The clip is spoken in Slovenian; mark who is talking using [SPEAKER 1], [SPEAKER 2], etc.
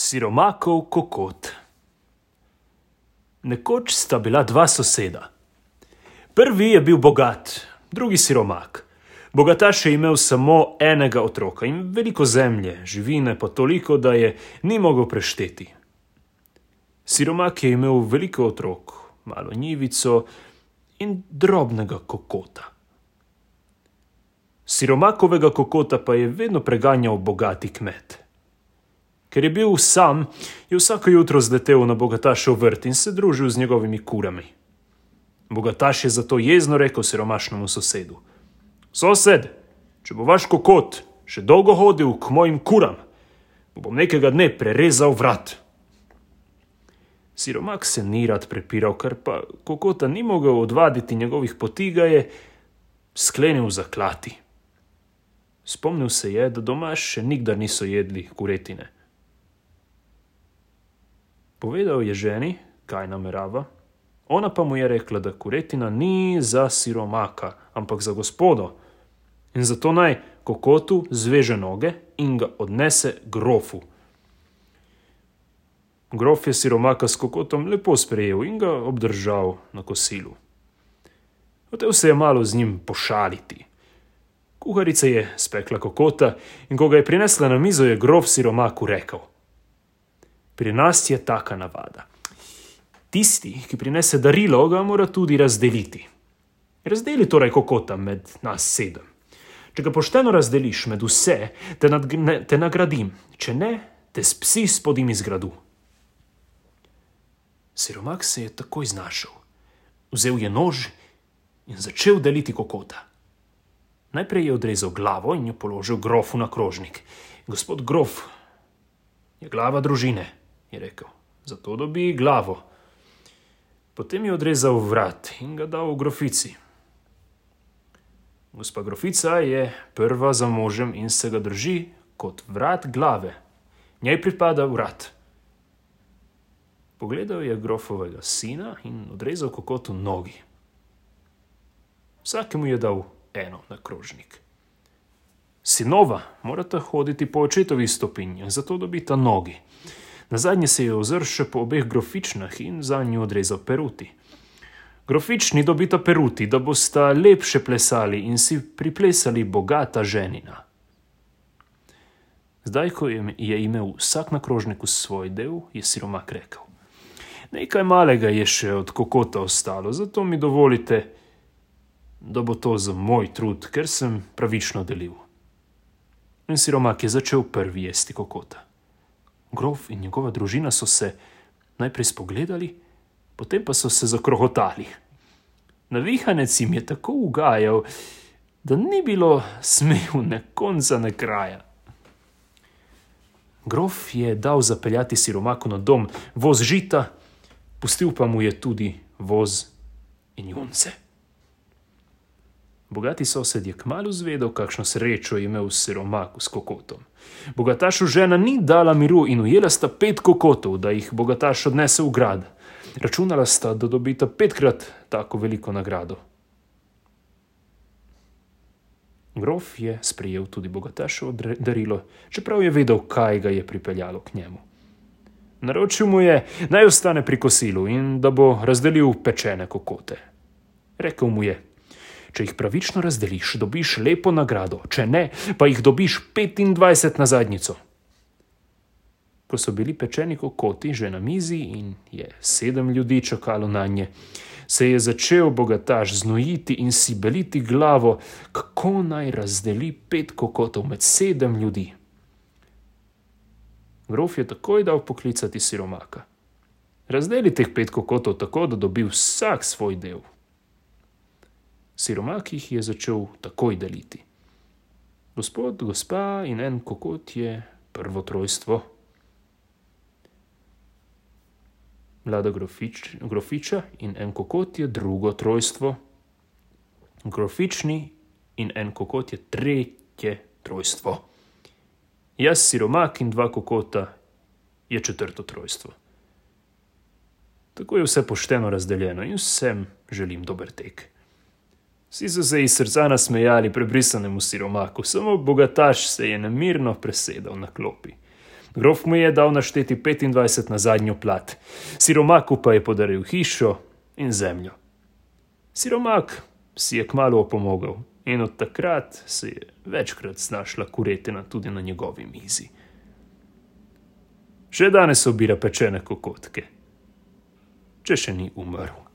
[SPEAKER 1] Siromakov kokot. Nekoč sta bila dva soseda. Prvi je bil bogat, drugi siromak. Bogataš je imel samo enega otroka in veliko zemlje, živine pa toliko, da je ni mogel prešteti. Siromak je imel veliko otrok, malo njivico in drobnega kokota. Siromakovega kokota pa je vedno preganjal bogati kmet. Ker je bil sam, je vsako jutro zletel na bogatašev vrt in se družil z njegovimi kurami. Bogataš je zato jezno rekel siromašnemu sosedu: "Sosed, če bo vaš kokot še dolgo hodil k mojim kuram, bom nekega dne prerezal vrat." Siromak se ni rad prepiral, ker pa kokota ni mogel odvaditi njegovih poti, ga je sklenil zaklati. Spomnil se je, da doma še nikdar niso jedli kuretine. Povedal je ženi, kaj namerava, ona pa mu je rekla, da kuretina ni za siromaka, ampak za gospodo, in zato naj kokotu zveže noge in ga odnese grofu. Grof je siromaka s kokotom lepo sprejel in ga obdržal na kosilu. Hotel se je malo z njim pošaliti. Kuharica je spekla kokota in ko ga je prinesla na mizo, je grof siromaku rekel: "Pri nas je taka navada. Tisti, ki prinese darilo, ga mora tudi razdeliti. Razdeli torej kokota med nas 7. Če ga pošteno razdeliš med vse, te nagradim, če ne, te s psi spodim iz gradu." Siromak se je takoj znašel. Vzel je nož in začel deliti kokota. Najprej je odrezal glavo in jo položil grofu na krožnik. "Gospod grof, je glava družine," je rekel, "zato dobi glavo." Potem je odrezal vrat in ga dal grofici. Gospa grofica je prva za možem in se ga drži kot vrat glave. Njej pripada vrat. Pogledal je grofovega sina in odrezal kokotu nogi. Vsakemu je dal eno na krožnik. Sinova morata hoditi po očetovih stopinjah, zato dobita nogi. Nazadnje se je ozrl še po obeh grofičnah in zanju odrezal peruti. Grofični dobita peruti, da bosta lepše plesali in si priplesali bogata ženina. Zdaj, ko je imel vsak na krožniku svoj del, je siromak rekel: "Nekaj malega je še od kokota ostalo, zato mi dovolite, da bo to za moj trud, ker sem pravično delil." In siromak je začel prvi jesti kokota. Grof in njegova družina so se najprej spogledali, potem pa so se zakrohotali. Navihanec jim je tako ugajal, da ni bilo smehu ne konca ne kraja. Grof je dal zapeljati siromaku na dom voz žita, pustil pa mu je tudi voz in junce. Bogati sosed je kmalu zvedel, kakšno srečo je imel siromak s kokotom. Bogatašu žena ni dala miru in ujela sta 5 kokotov, da jih bogataš odnese v grad. Računala sta, da dobita 5-krat tako veliko nagrado. Grof je sprejel tudi bogataševo darilo, čeprav je vedel, kaj ga je pripeljalo k njemu. Naročil mu je, naj ostane pri kosilu in da bo razdelil pečene kokote. Rekel mu je: "Če jih pravično razdeliš, dobiš lepo nagrado, če ne, pa jih dobiš 25 na zadnjico." Ko so bili pečeni kokoti že na mizi in je 7 ljudi čakalo nanje, se je začel bogataš znojiti in si beliti glavo, kako naj razdeli 5 kokotov med 7 ljudi. Grof je takoj dal poklicati siromaka. "Razdeli teh 5 kokotov tako, da dobi vsak svoj del." Siromak jih je začel takoj deliti. Gospod, gospa in en kokot je prvo trojstvo. Mlada grofiča in en kokot je drugo trojstvo. Grofični in en kokot je tretje trojstvo. Jaz, siromak in 2 kokota je četrto trojstvo. Tako je vse pošteno razdeljeno in vsem želim dober tek. Vsi so se iz srca nasmejali prebrisanemu siromaku, samo bogataš se je nemirno presedal na klopi. Grof mu je dal našteti 25 na zadnjo plat, siromaku pa je podaril hišo in zemljo. Siromak si je kmalu opomogel in od takrat se je večkrat znašla kuretina tudi na njegovi mizi. Še danes obira pečene kokotke, če še ni umrl.